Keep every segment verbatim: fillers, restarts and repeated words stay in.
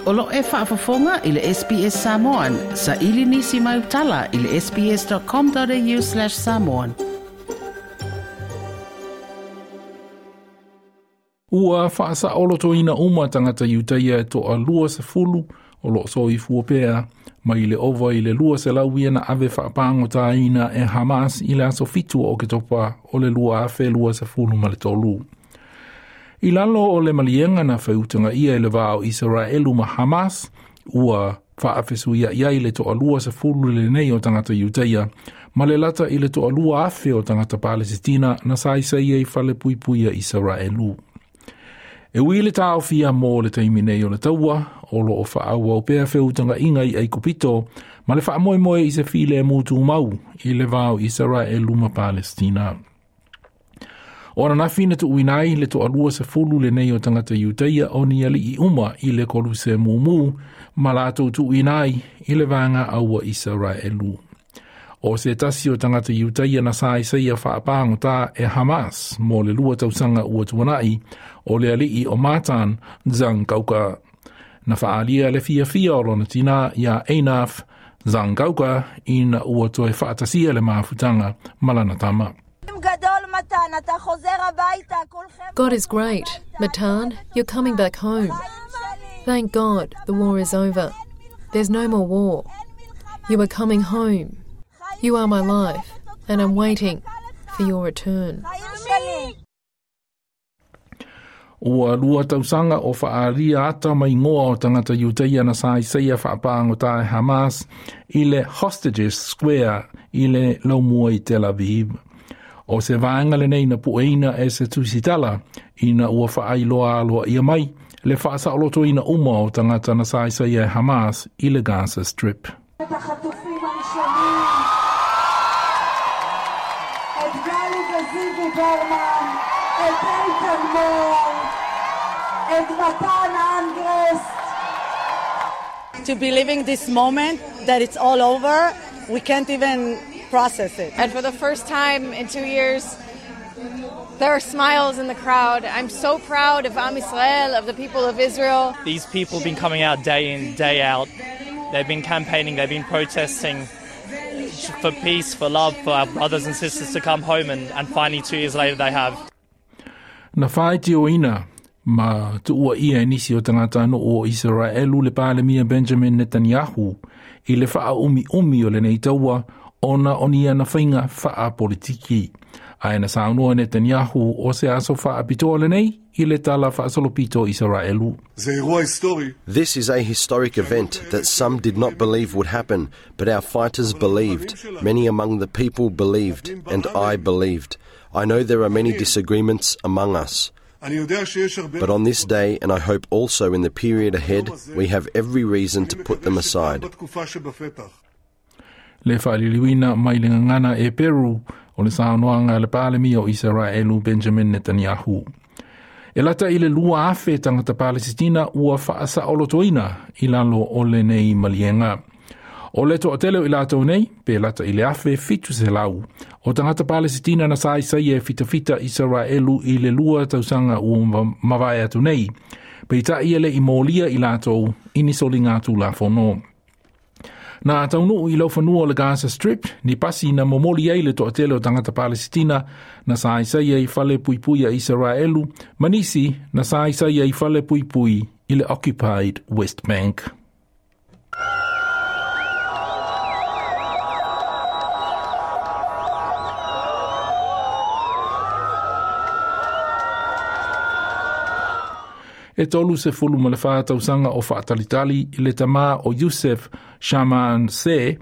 O lo e faafofoga i le S B S Samoan. Sa ili nisi mai utala i le sbs.com.au slash samoan. Ua faasaolotoina uma tagata Iutaia e toalua sefulu o loo soifua pea mai le ova i le lua selau ia na ave faapagotaina e Hamas i le aso fitu o Oketopa o le lua afe lua sefulu ma le tolu. I lalo o le maliega na feutaga ia i le vā o Isaraelu ma Hamas, ua faafesuia'i ai le toalua sefulu lenei o tagata Iutaia, ma le lata i le toalua afe o tagata Palesitina na saisaia i falepuipui a Isaraelu. E ui le taofia mo le taimi nei o le taua, o loo faaauau pea feutaga'iga i Aikupito, ma le faamoemoe i se filemu tumau i le vā o Isaraelu ma Palestina. O ananafi na tuuina ai le toalua sefulu lenei o tagata Iutaia o ni ali'i uma i le koluse mumu, ma latou tuuina ai i le vaega aua Isaraelu. O se tasi o tagata Iutaia na saisaia faapagotā e Hamas mo le lua tausaga ua tuana'i o le ali'i o Matan Zangauka. Na faalia le fiafia o lona tinā iā Einaf Zangauka ina ua toe faatasia le mafutaga ma lana tama. God is great. Matan, you're coming back home. Thank God the war is over. There's no more war. You are coming home. You are my life, and I'm waiting for your return. Ua lua tausaga o faalia ata mai ngoa o tagata Iutaia na saisaia faapagotā e Hamas i le Hostages Square i le laumua i Tel Aviv. O se vaega lenei na pueina e se tusitala ina ua faailoa aloaia mai le faasaolotoina uma o tagata na saisaia e Hamas i le Gaza Strip. To be living this moment that it's all over, we can't even process it. And for the first time in two years, there are smiles in the crowd. I'm so proud of Am Yisrael, of the people of Israel. These people have been coming out day in, day out. They've been campaigning, they've been protesting for peace, for love, for our brothers and sisters to come home, and, and finally two years later they have. Na whaitioina ma tuua ia e nisi o tagata no o Isaraelu le palemia Benjamin Netanyahu i le whaaumi umi o lenei taua ona o ni ana whainga whaapolitiki. Ae na saunoa Netanyahu o se aso whaapitoa lenei i le tala faasolopito Isaraelu. This is a historic event that some did not believe would happen, but our fighters believed. Many among the people believed, and I believed. I know there are many disagreements among us. But on this day, and I hope also in the period ahead, we have every reason to put them aside. Le whaaliliwina mai le ngangana e Peru o le saunoaga a le palemia o Isaraelu Benjamin Netanyahu. E lata i le lua afe tagata Palesitina ua faasaolotoina i lalo o lenei maliega. O le toatele o i latou nei, pe lata i le afe fitu selau, o tagata Palesitina na saisaia e fitafita Isaraelu i le lua tausaga ua mavae atu nei, peitai e le'i molia i latou i ni soliga tulafono. Na taunuu i laufanua o le Gaza Strip, ni pasi na momoli ai le toatele o tagata Palesitina na saisaia i fale puipui a Isaraelu, ma nisi na saisaia i fale puipui i le Occupied West Bank. E tolu sefulu ma le whātausaga o faatalitali i le tamā o Yusef Shamanse,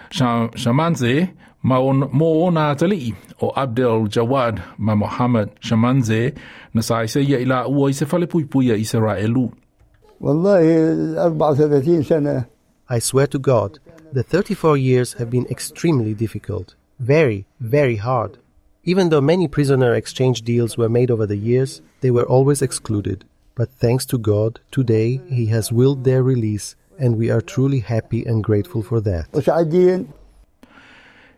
Shamanze ma on, mo ona atali'i o Abdel Jawad ma Mohammed Shamanze na saisaia i la ua i se falepuipui a Isaraelu. I swear to God, the thirty-four years have been extremely difficult. Very, very hard. Even though many prisoner exchange deals were made over the years, they were always excluded. But thanks to God, today He has willed their release, and we are truly happy and grateful for that.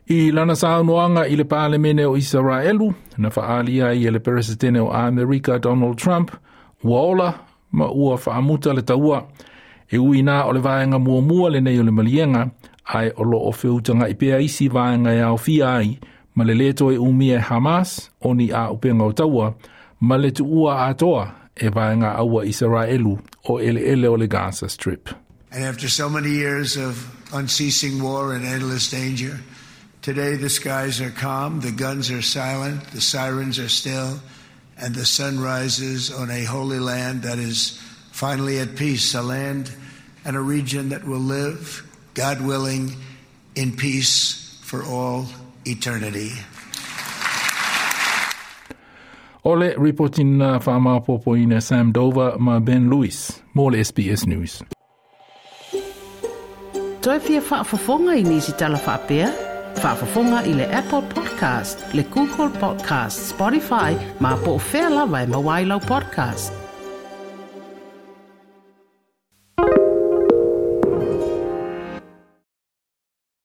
I lana saunoaga i le palemene o Isaraelu, na faalia ai e le peresetene o Amerika Donald Trump, ua ola ma ua faamuta le taua. E ui nā o le vaenga muamua lenei o le maliega, ae o loo feutaga'i pea isi vaega e aofia ai, ma le lē toe umia e Hamas o ni āupenga o taua, ma le tuua atoa e vaega aua Isaraelu o eleele o le Gaza Strip. And after so many years of unceasing war and endless danger, today the skies are calm, the guns are silent, the sirens are still, and the sun rises on a holy land that is finally at peace, a land and a region that will live, God willing, in peace for all eternity. O le ripotina whaamapopoina Sam Dover ma Ben Lewis, mo le S B S News. Toe fia faafofoga i nisi tala faapea? Faafofoga i le Apple Podcast, le Google Podcast, Spotify, ma po o fea lava e maua ai lau podcast.